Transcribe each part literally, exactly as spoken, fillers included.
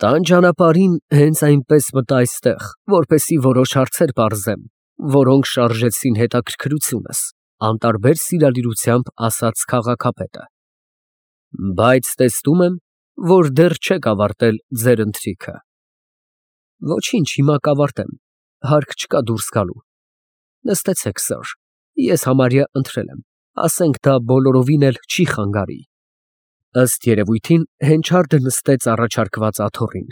Տան ճանապարհին հենց այնպես մտա այստեղ, որպեսզի որոշ հարցեր պարզեմ, որոնք շարժեցին հետաքրքրությունս, անտարբեր սիրալիրությամբ ասաց քաղաքապետը։ Բայց տեսնում եմ, որ դեռ չեք ավարտել ձեր ընթրիքը։ Ոչինչ, հիմա կավարտեմ, հարկ չկա դուրս գալու։ Նստեցեք, սըր, ես համարյա ընթրել եմ, ասենք դա բոլորովին էլ չի խանգարի։ Ըստ երևույթին Հենչարդը նստեց առաջարկված աթոռին,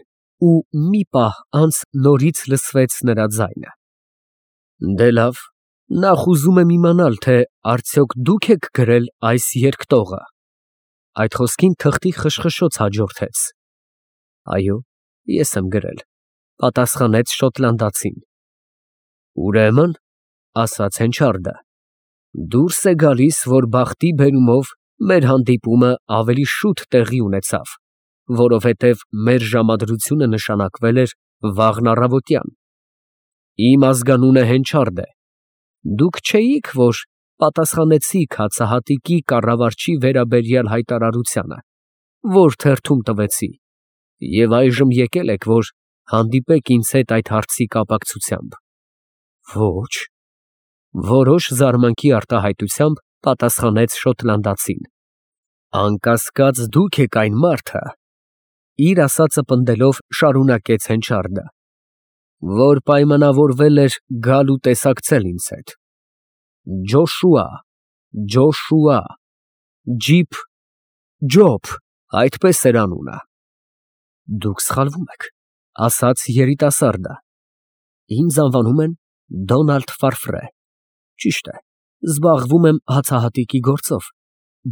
ու մի պահ անց նորից լսվեց նրա ձայնը։ Դե լավ, նախ ուզում եմ իմանալ, թե արդյոք դուք եք գրել այս երկտողը։ Այդ խոսքին թղթի խշխշոց հաջորդեց։ Այո, ես եմ գրել, պատասխանեց շոտլանդացին։ Ուրեմն, ասաց Հենչարդը, դուրս է գալիս, որ բախտի բերումով մեր հանդիպումը ավելի շուտ տեղի ունեցավ, որովհետև մեր ժամադրությունը նշանակվել էր վաղն առավոտյան։ Իմ ազգանունը Հենչարդ է։ Դուք չէիք, որ պատասխանեցիք հացահատիկի կառավարչի վերաբերյալ հայտարարությանը, որ թերթում տվեցի, և այժմ եկել եք, որ հանդիպեք ինձ հետ այդ հարցի կապակցությամբ։ Ոչ, որոշ զարմանքի արտահայտությամբ պատասխանեց շոտլանդացին։ Անկասկած դուք եք այն մարդը, իր ասածը պնդելով շարունակեց Հենչարդը, որ պայմանավորվել էր գալ ու տեսակցել ինձ հետ։ Ջոշուա, Ջոշուա, Ջիփ, Ջոբ, այդպես էր անունը։ Դուք սխալվում եք, ասաց երիտասարդը։ Ինձ անվանում են Դոնալդ Ֆարֆրե։ Ճիշտ է, զբաղվում եմ հացահատիկի գործով,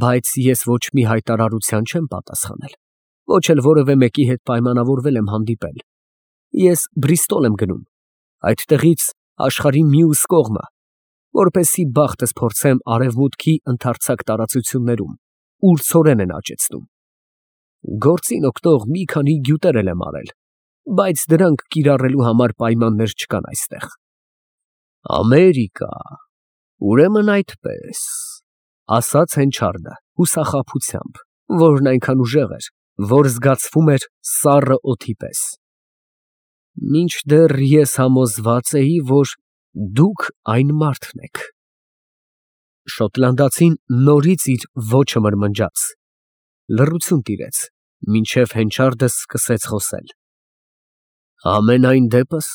բայց ես ոչ մի հայտարարության չեմ պատասխանել, ոչ էլ որևէ մեկի հետ պայմանավորվել եմ հանդիպել։ Ես Բրիստոլ եմ գնում, այդտեղից աշխարհի մյուս կողմը, որպեսզի բախտս փորձեմ արևմուտքի ընդարձակ տարածություններում, ուր ցորեն են աճեցնում։ Գործին օգնող մի քանի գյուտեր եմ արել, բայց դրանք կիրառելու համար պայմաններ չկան այստեղ։ Ամերիկա, ուրեմն այդպես, ասաց Հենչարդը հուսախաբությամբ, որն այնքան ուժեղ էր, որ զգացվում էր սառը օդի պես։ Մինչդեռ ես համոզված էի, որ դուք այն մարդն եք։ Շոտլանդացին նորից իր ոճը մրմնջաց։ Լռություն տիրեց, մինչև Հենչարդը սկսեց խոսել։ Համենայն դեպս,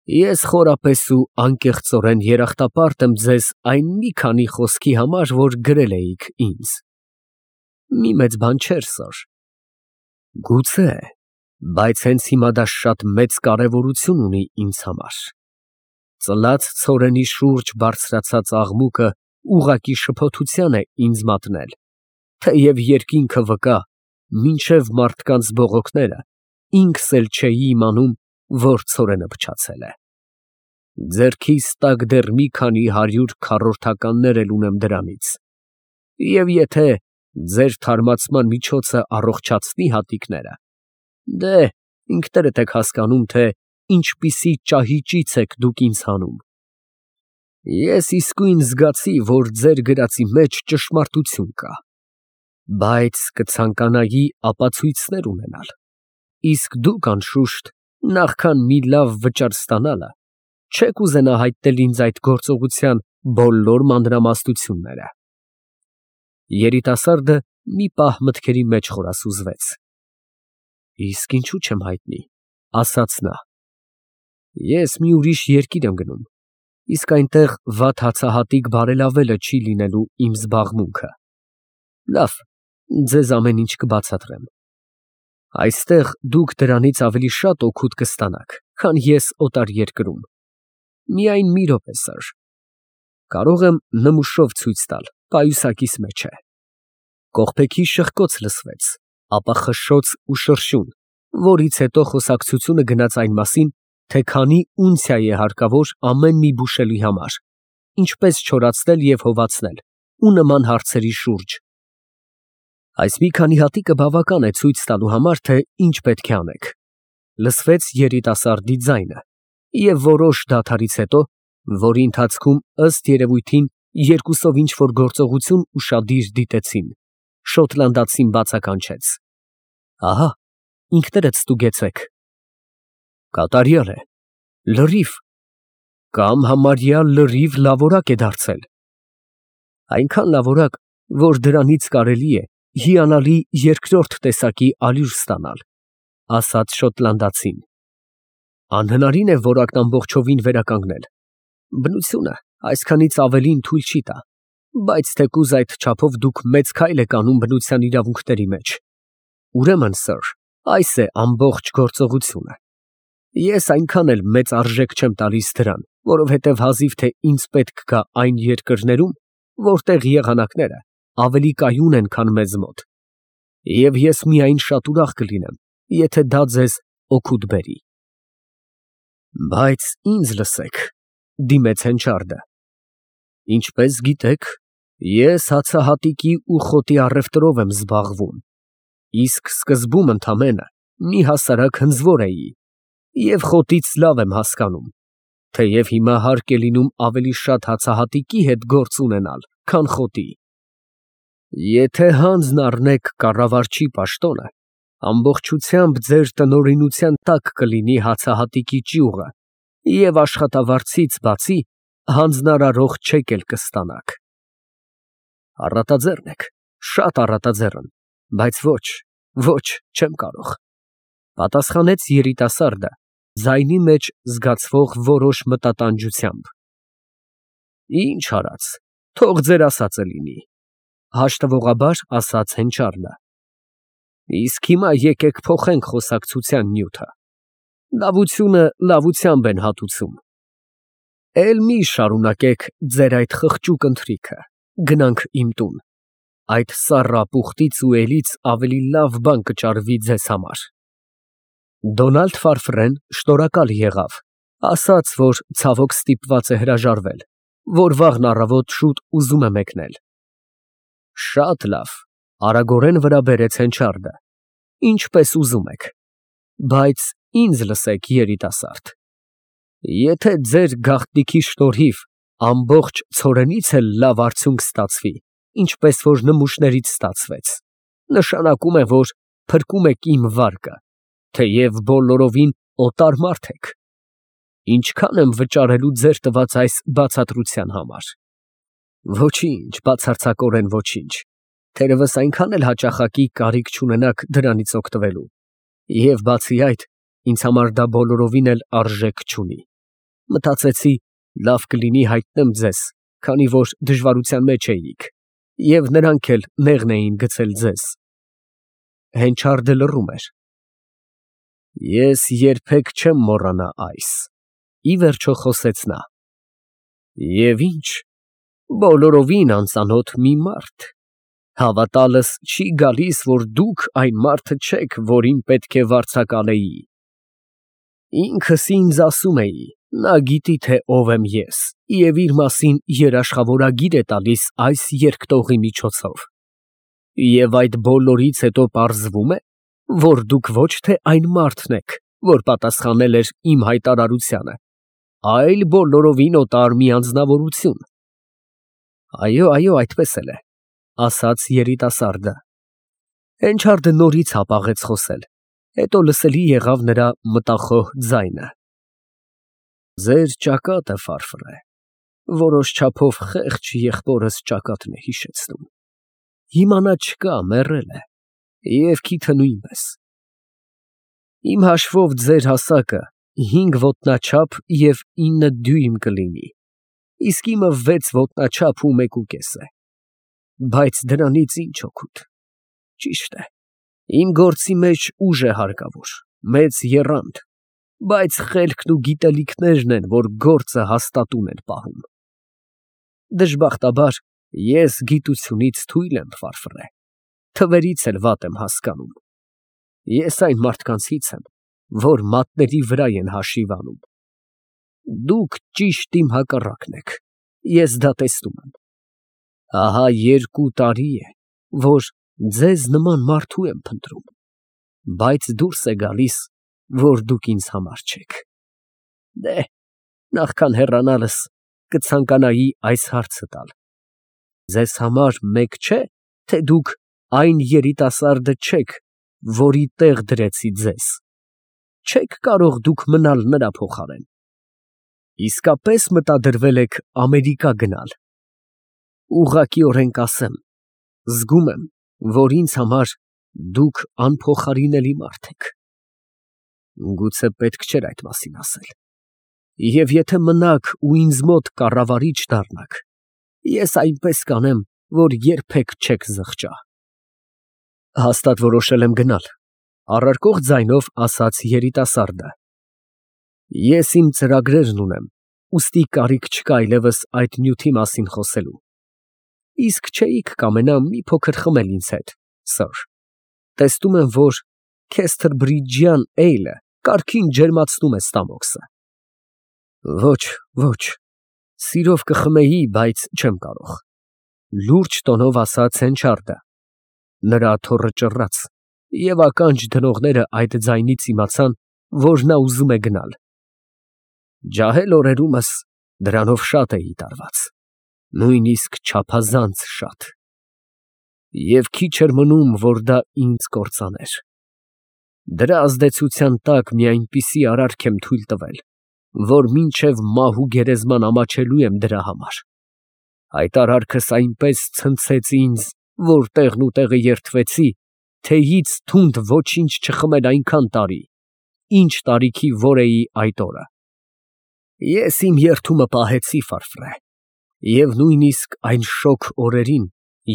ես խորապես ու անկեղծորեն երախտապարտ եմ ձեզ այն մի քանի խոսքի համար, որ գրել էիք ինձ։ Մի մեծ բան չէր, սըր։ Գուցե, բայց հենց հիմա դա շատ մեծ կարևորություն ունի ինձ համար։ Ծլած ցորենի շուրջ բարձրացած աղմուկը ուղղակի շփոթության է ինձ մատնել, թեև երկինքը վկա, մինչև մարդկանց բողոքները ինքս էլ չէի իմանում, որ ցորենը փչացել է։ Ձեռքիս տակ դեռ մի քանի հարյուր քառորդականներ էլ ունեմ դրանից, և եթե ձեր թարմացման միջոցը առողջացնի հատիկները, դե, ինքներդ եք հասկանում, թե ինչպիսի ճահիճից եք դուք ինձ հանում։ Ես իսկույն զգացի, որ ձեր գրածի մեջ ճշմարտություն կա, բայց կցանկանայի ապացույցներ ունենալ, իսկ դուք, անշուշտ, նախքան մի լավ վճար ստանալը, չեք ուզենա հայտնել ինձ այդ գործողության բոլոր մանրամասնությունները։ Երիտասարդը մի պահ մտքերի մեջ խորասուզվեց։ Իսկ ինչու չեմ հայտնի, ասաց նա։ Ես մի ուրիշ երկիր եմ գնում, իսկ այնտեղ վատ հացահատիկ բարելավելը չի լինելու իմ զբաղմունքը։ Լավ, ձեզ ամեն ինչ կբացատրեմ։ Այստեղ դուք դրանից ավելի շատ օգուտ կստանաք, քան ես օտար երկրում։ Միայն մի րոպե, սըր։ Կարող եմ նմուշով ցույց տալ, պայուսակիս մեջ է։ Կողպեքի շխկոց լսվեց, ապա խշշոց ու շրշյուն, որից հետո խոսակցությունը գնաց այն մասին, թե քանի ունցիա է հարկավոր ամեն մի բուշելի համար, ինչպես չորացնել և հովացնել, ու նման հարցերի շուրջ։ Այս մի քանի հատիկը բավական է ցույց տալու համար, թե ինչ պետք է անեք։ Լսվեց երիտասարդի ձայնը, և որոշ դադարից հետո, որի ընթացքում ըստ երևույթին երկուսով ինչ֊որ գործողություն ուշադիր դիտեցին, շոտլանդացին բացականչեց. Ահա, ինքներդ ստուգեցեք։ Կատարյալ է, լրիվ, կամ համարյա լրիվ լավորակ է դարձել։ Այնքան լավորակ, որ դրանից կարելի է հիանալի երկրորդ տեսակի ալյուր ստանալ, ասաց շոտլանդացին։ Անհնարին է որակն ամբողջովին վերականգնել։ Բնությունը այսքանից ավելին թույլ չի տա, բայց թեկուզ այդ չափով դուք մեծ քայլ եք անում բնության իրավունքների մեջ։ Ուրեմն, սըր, այս է ամբողջ գործողությունը։ Ես այնքան էլ մեծ արժեք չեմ տալիս դրան, որովհետև հազիվ թե ինձ պետք գա այն երկրներում, որտեղ եղանակները ավելի կայուն են, քան մեզ մոտ, և ես միայն շատ ուրախ կլինեմ, եթե դա ձեզ օգուտ բերի։ Բայց ինձ լսեք, դիմեց Հենչարդը. ինչպես գիտեք, ես հացահատիկի ու խոտի առևտրով եմ զբաղվում, իսկ սկզբում ընդամենը մի հասարակ հնձվոր էի և խոտից լավ եմ հասկանում, թեև հիմա հարկ է լինում ավելի շատ հացահատիկի հետ գործ ունենալ, քան խոտի։ Եթե հանձն առնեք կառավարչի պաշտոնը, ամբողջությամբ ձեր տնօրինության տակ կլինի հացահատիկի ճյուղը և աշխատավարձից բացի հանձնարարող չեկ էլ կստանաք։ Առատաձեռն եք, շատ առատաձեռն, բայց ոչ, ոչ, չեմ կարող, պատասխանեց երիտասարդը ձայնի մեջ զգացվող որոշ մտատանջությամբ։ Ինչ արած, թող ձեր ասածը լինի, հաշտվողաբար ասաց Հենչարդը։ Իսկ հիմա եկեք փոխենք խոսակցության նյութը։ Լավությունը լավությամբ են հատուցում։ Էլ մի շարունակեք ձեր այդ խղճուկ ընթրիքը, գնանք իմ տուն, այդ սառապուխտից ու էլից ավելի լավ բան կճարվի ձեզ համար։ Դոնալդ Ֆարֆրեն շնորհակալ եղավ, ասաց, որ ցավոք ստիպված է հրաժարվել, որ վաղն առավոտ շուտ ուզում է մեկնել։ Շատ լավ, արագորեն վրա բերեց Հենչարդը, ինչպես ուզում եք, բայց ինձ լսեք, երիտասարդ, եթե ձեր գաղտնիքի շնորհիվ ամբողջ ցորենից էլ լավ արդյունք ստացվի, ինչպես որ նմուշներից ստացվեց, նշանակում է, որ փրկում եք իմ վարկը, թեև բոլորովին օտար մարդ եք։ Ինչքան եմ վճարելու ձեր տված այս բացատրության համար։ Ոչինչ, բացարձակորեն ոչինչ, թերևս այնքան էլ հաճախակի կարիք չունենաք դրանից օգտվելու, և բացի այդ, ինձ համար դա բոլորովին էլ արժեք չունի։ Մտածեցի, լավ կլինի հայտնեմ ձեզ, քանի որ դժվարության մեջ էիք, և նրանք էլ նեղն էին գցել ձեզ։ Հենչարդը լռում էր։ Ես երբեք չեմ մոռանա այս, ի վերջո խոսեց նա։ Եվ ինչ, բոլորովին անծանոթ մի մարդ, հավատալս չի գալիս, որ դուք այն մարդը չեք, որին պետք է վարձակալեի։ Ինքս ինձ ասում էի, նա գիտի, թե ով եմ ես, և իր մասին երաշխավորագիր է տալիս այս երկտողի միջոցով։ Եվ այդ բոլորից հետո պարզվում է, որ դուք ոչ թե այն մարդն եք, որ պատասխանել էր իմ հայտարարությանը, այլ բոլորովին օտար մի անձնավորություն։ Այո, այո, այդպես էլ է, ասաց երիտասարդը։ Հենչարդը նորից հապաղեց խոսել, հետո լսելի եղավ նրա մտախոհ ձայնը։ Ձեր ճակատը, Ֆարֆրե, որոշ չափով խեղճ եղբորս ճակատն է հիշեցնում։ Հիմա նա չկա, մեռել է, և քիթը նույնպես։ Իմ հաշվով ձեր հասակը հինգ ոտնաչափ և ինը դյույմ կլինի, իսկ իմը վեց ոտնաչափ ու մեկուկես է։ Բայց դրանից ինչ օգուտ։ Ճիշտ է, իմ գործի մեջ ուժ է հարկավոր, մեծ եռանդ, բայց խելքն ու գիտելիքներն են, որ գործը հաստատուն են պահում։ Դժբախտաբար, ես գիտությունից թույլ եմ, Ֆարֆրե, թվերից էլ վատ եմ հասկանում։ Ես այն մարդկանցից եմ, որ մատների վրա են հաշիվ անում։ Դուք ճիշտ իմ հակառակն եք, ես դա տեսնում եմ։ Ահա երկու տարի է, որ ձեզ նման մարդու եմ փնտրում, բայց դուրս է գալիս, որ դուք ինձ համար չեք։ Դե, նախքան հեռանալս կցանկանայի այս հարցը տալ. ձեզ համար մեկ չէ, թե դուք այն երիտասարդը չեք, որի տեղ դրեցի ձեզ, չեք կարող դուք մնալ նրա փոխարեն։ Իսկապես մտադրվել եք Ամերիկա գնալ։ Ուղղակիորեն կասեմ, զգում եմ, որ ինձ համար դուք անփոխարինելի մարդ եք։ Գուցե պետք չէր այդ մասին ասել։ Եվ եթե մնաք ու ինձ մոտ կառավարիչ դառնաք, ես այնպես կանեմ, որ երբեք չեք զղջա։ Հաստատ որոշել եմ գնալ, առարկող ձայնով ասաց երիտասարդը։ Ես իմ ծրագրերն ունեմ, ուստի կարիք չկա այլևս այդ նյութի մասին խոսելու։ Իսկ չէիք կամենա մի փոքր խմել ինձ հետ, սըր։ Տեսնում եմ, որ Քեսթրբրիջյան էյլը կարգին ջերմացնում է ստամոքսը։ Ոչ, ոչ, սիրով կխմեի, բայց չեմ կարող, լուրջ տոնով ասաց Հենչարդը։ Նրա աթոռը ճռռաց, և ականջ դնողները այդ ձայնից իմացան, որ նա ուզում է գնալ։ Ջահել օրերումս դրանով շատ էի տարված, նույնիսկ չափազանց շատ։ Եվ քիչ էր մնում, որ դա ինձ կործաներ։ Դրա ազդեցության տակ մի այնպիսի արարք եմ թույլ տվել, որ մինչև մահու գերեզման ամաչելու եմ դրա համար։ Այդ արարքս այնպես ցնցեց ինձ, որ տեղն ու տեղը երդվեցի, թեյից թունդ ոչինչ չխմել այնքան տարի, ինչ տարիքի որ էի այդ օրը։ Ես իմ երդումը պահեցի, Ֆարֆրե, և նույնիսկ այն շոգ օրերին,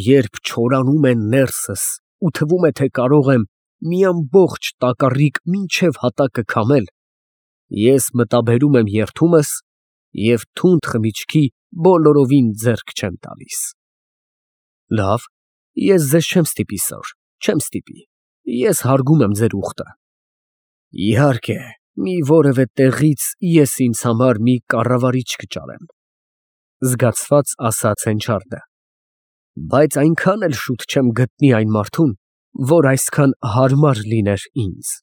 երբ չորանում են ներսս ու թվում է, թե կարող եմ մի ամբողջ տակառիկ մինչև հատակը քամել, ես մտաբերում եմ երդումս և թունդ խմիչքի բոլորովին ձեռք չեմ տալիս։ Լավ, ես ձեզ չեմ ստիպի, սըր, չեմ ստիպի, ես հարգում եմ ձեր ուխտը։ Իհարկե, մի որևէ տեղից ես ինձ համար մի կառավարիչ կճարեմ, զգացված ասաց Հենչարդը, բայց այնքան էլ շուտ չեմ գտնի այն մարդուն, որ այսքան հարմար լիներ ինձ։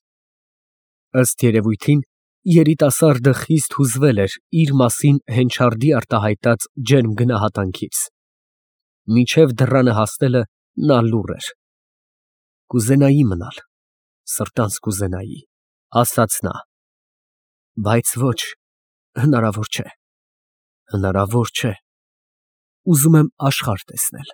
Ըստ երևույթին, երիտասարդը խիստ հուզվել էր իր մասին Հենչարդի արտահայտած ջերմ գնահատանքից։ Մինչև դռանը հասնելը նա լուռ էր։ Կուզենայի մնալ, սրտանց կուզենայի, ասաց նա, բայց ոչ, հնարավոր չէ, հնարավոր չէ, ուզում եմ աշխարհ տեսնել։